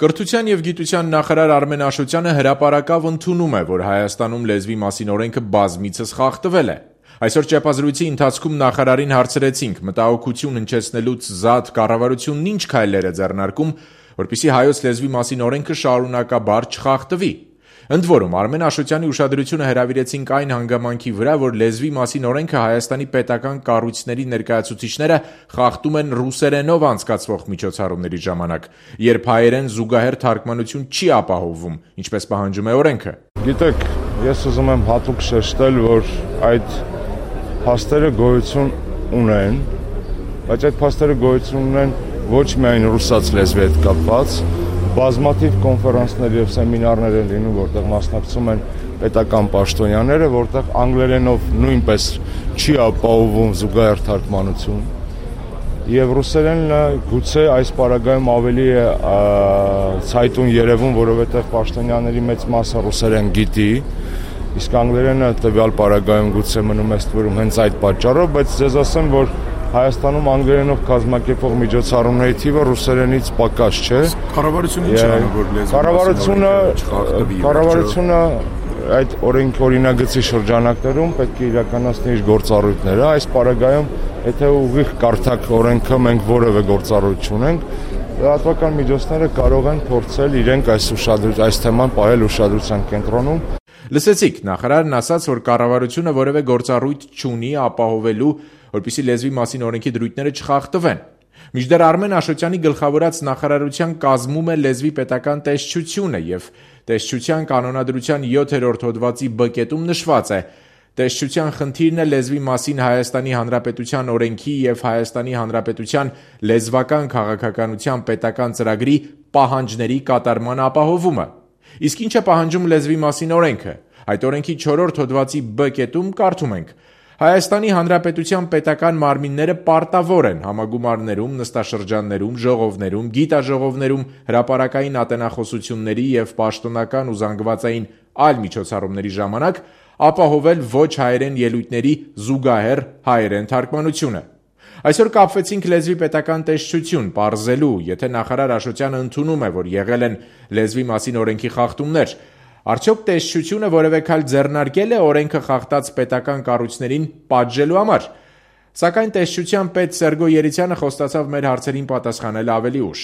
Կրթության և գիտության նախարար Արմեն Աշոտյանը հրապարակավ ընդունում է, որ Հայաստանում լեզվի մասին օրենքը բազմիցս խախտվել է։ Այսօր ճեպազրույցի ընթացքում նախարարին հարցրեցինք՝ մտահոգություն հնչեցնելուց զատ կառավարությունն ինչ քայլեր է ձեռնարկում, որպեսզի հայոց լեզվի մասին օրենքը շարունակաբար չխախտվի։ Ընդ որում, Արմեն Աշոտյանի ուշադրությունը հրավիրեցինք այն հանգամանքի վրա, որ լեզվի մասին օրենքը Հայաստանի պետական կառույցների ներկայացուցիչները խախտում են ռուսերենով անցկացվող միջոցառումների ժամանակ, երբ հայերեն զուգահեռ թարգմանություն չի ապահովվում, ինչպես պահանջում է օրենքը։ Գիտեք, ես ուզում եմ հատուկ շեշտել, որ այդ փաստերը գոյություն ունեն, բայց այդ փաստերը գոյություն ունեն ոչ միայն ռուսաց լեզվի հետ կապված, բազմաթիվ կոնֆերանսներ եւ սեմինարներ են լինում, որտեղ մասնակցում են պետական պաշտոնյաները, որտեղ անգլերենով նույնպես չի ապահովում զուգահեռ թարգմանություն։ Եվ ռուսերենը գուցե այս պարագայում ավելի է ցայտուն երևում, որովհետեւ պաշտոնյաների մեծ մասը ռուսերեն գիտի, իսկ անգլերենը տվյալ պարագայում գուցե մնում է ստվերում հենց այդ պատճառով, բայց ձեզ ասեմ, որ Հայաստանում անգլերենով կազմակերպող միջոցառումների թիվը ռուսերենից պակաս չէ։ Կառավարությունը ինչ անում, որ լեզվի կառավարությունը այդ օրինագծի շրջանակներում պետք է իրականացնի իր գործառույթները։ Այս պարագայում, եթե ուղիղ կարդակ օրենքը մենք որևէ գործառույթ չունենք, լրատվական միջոցները կարող են փորձել իրենք այս թեման պահել ուշադրության կենտրոնում։ Լսեցիք, նախարարն ասաց, որ կառավարությունը որևէ գործառույթ չունի ապահովելու, որպեսզի լեզվի մասին օրենքի դրույթները չխախտվեն։ Մինչդեռ Արմեն Աշոտյանի գլխավորած նախարարության կազմում է լեզվի պետական տեսչությունը եւ տեսչության կանոնադրության 7-րդ հոդվածի B կետում նշված է. տեսչության խնդիրն է լեզվի մասին Հայաստանի Հանրապետության օրենքի եւ Հայաստանի Հանրապետության լեզվական քաղաքականության պետական ծրագրի պահանջների կատարման ապահովումը։ Իսկ ինչ է պահանջում լեզվի մասին օրենքը։ Այդ օրենքի 4-րդ հոդվածի B կետում կարդում ենք. Հայաստանի Հանրապետության պետական մարմինները պարտավոր են համագումարներում, նստաշրջաններում, ժողովներում, գիտաժողովներում, հրապարակային ատենախոսությունների եւ պաշտոնական ու զանգվածային այլ միջոցառումների ժամանակ ապահովել ոչ հայերեն ելույթների զուգահեռ հայերեն թարգմանությունը։ Այսօր կապվեցինք լեզվի պետական տեսչություն պարզելու, եթե նախարար Աշոտյանը ընդունում է, որ եղել են լեզվի մասին օրենքի խախտումներ, արդյոք տեսչությունը որևէ քայլ ձեռնարկել է օրենքը խախտած պետական կառույցներին պատժելու համար։ Սակայն տեսչության պետ Սերգո Երիցյանը խոստացավ մեր հարցերին պատասխանել ավելի ուշ։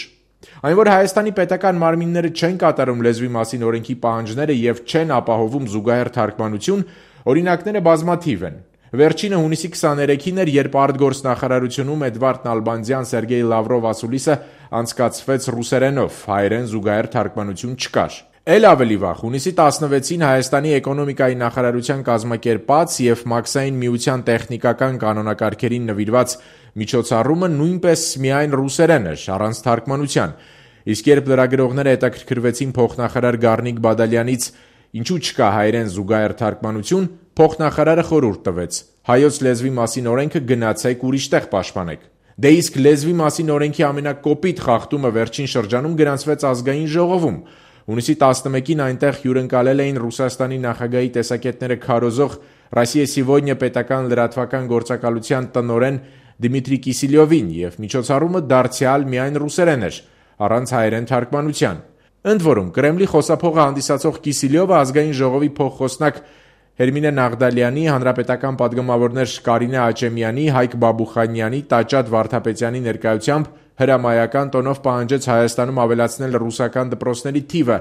Այն, որ Հայաստանի պետական մարմինները չեն կատարում լեզվի մասին օրենքի պահանջները եւ չեն ապահովում զուգահեռ թարգմանություն, օրինակները բազմաթիվ են։ Վերջինը հունիսի 23-ին էր, երբ արտգործնախարարությունում Էդվարդ Նալբանդյան, Սերգեյ Լավրով ասուլիսը անցկացվեց ռուսերենով, հայերեն զուգահեռ թարգմանություն չկար։ Էլ ավելի վաղ, հունիսի 16-ին Հայաստանի էկոնոմիկայի նախարարության կազմակերպած եւ Մաքսային միության տեխնիկական կանոնակարգերին նվիրված միջոցառումը նույնպես միայն ռուսերեն էր, առանց թարգմանության։ Իսկ երբ լրագրողները հետաքրքրվեցին փոխնախարար Գառնիկ Բադալյանից, ինչու չկա հայերեն զուգահեռ թարգմանություն, փոխնախարարը խորհուրդ տվեց. հայոց լեզվի մասին օրենքը գնացեք ուրիշտեղ պաշտպանեք։ Դե իսկ լեզվի մասին օրենքի ամենակոպիտ խախտումը վերջին շրջանում գրանցվեց ազգային ժողովում։ Հունիսի 11-ին այնտեղ հյուրընկալել էին Ռուսաստանի նախագահի տեսակետները քարոզող Ռոսիա Սիվոդնյա պետական լրատվական գործակալության տնօրեն Դմիտրի Կիսիլյովին եւ միջոցառումը դարձյալ միայն ռուսերեն էր, առանց հայերեն թարգմանության։ Ընդ որում, Կրեմլի խոսափողը հանդիսացող Կիսիլյովը ազգային ժողովի փոխխոսնակ Հերմինե Նաղդալյանի, հանրապետական պատգամավորներ Կարինե Աչեմյանի, Հայկ Բաբուխանյանի, Տաճատ Վարդապետյանի ներկայությամբ հրամայական տոնով պահանջեց Հայաստանում ավելացնել ռուսական դպրոցների թիվը,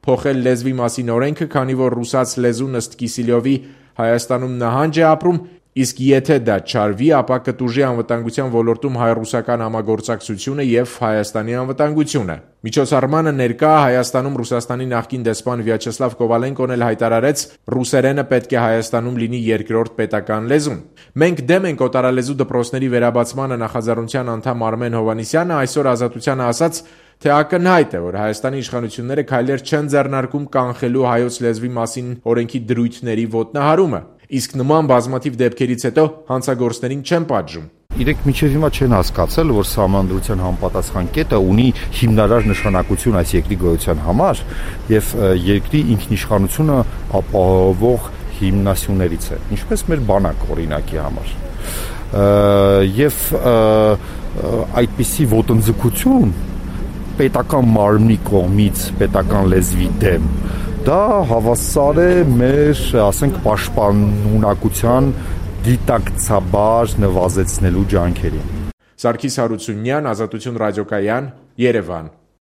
փոխել լեզվի մասին օրենքը, քանի որ ռուսաց լեզուն ըստ Կիսիլյովի Հայաստանում նահանջ է ապրում, իսկ եթե դա չարվի, ապա կտուժի անվտանգության ոլորտում հայ-ռուսական համագործակցությունը եւ Հայաստանի անվտանգությունը։ Միջոցառմանը ներկա Հայաստանում Ռուսաստանի նախկին դեսպան Վյաչեսլավ Կովալենկոն էլ հայտարարեց, ռուսերենը պետք է Հայաստանում լինի երկրորդ պետական լեզուն։ Մենք դեմ ենք օտարալեզու դպրոցների վերաբացմանը, նախաձեռնության անդամ Արմեն Հովհաննիսյանը այսօր Ազատությանը ասաց, թե ակնհայտ է, որ Հայաստանի իշխանությունները քայլեր չեն ձեռնարկում կանխելու հայոց լեզվի մասին օրենքի դրույթների ոտնահարումը, իսկ նման բազմաթիվ դեպքերից հետո հանցագործներին չեն պատժում։ Իրենք մինչև հիմա չեն հասկացել, որ Սահմանադրության համապատասխան կետը ունի հիմնարար նշանակություն այս երկրի գոյության համար եւ երկրի ինքնիշխանությունը ապահովող հիմնասյուներից է, ինչպես մեր բանակ օրինակի համար։ Եվ այդպիսի ոտնձգություն պետական մարմնի կողմից պետական լեզվի դեմ, դա հավասար է մեր, ասենք, պաշտպանունակության դիտակցաբար նվազեցնելու ջանքերին։ Սարգիս Հարությունյան, Ազատություն ռադիոկայան, Երևան։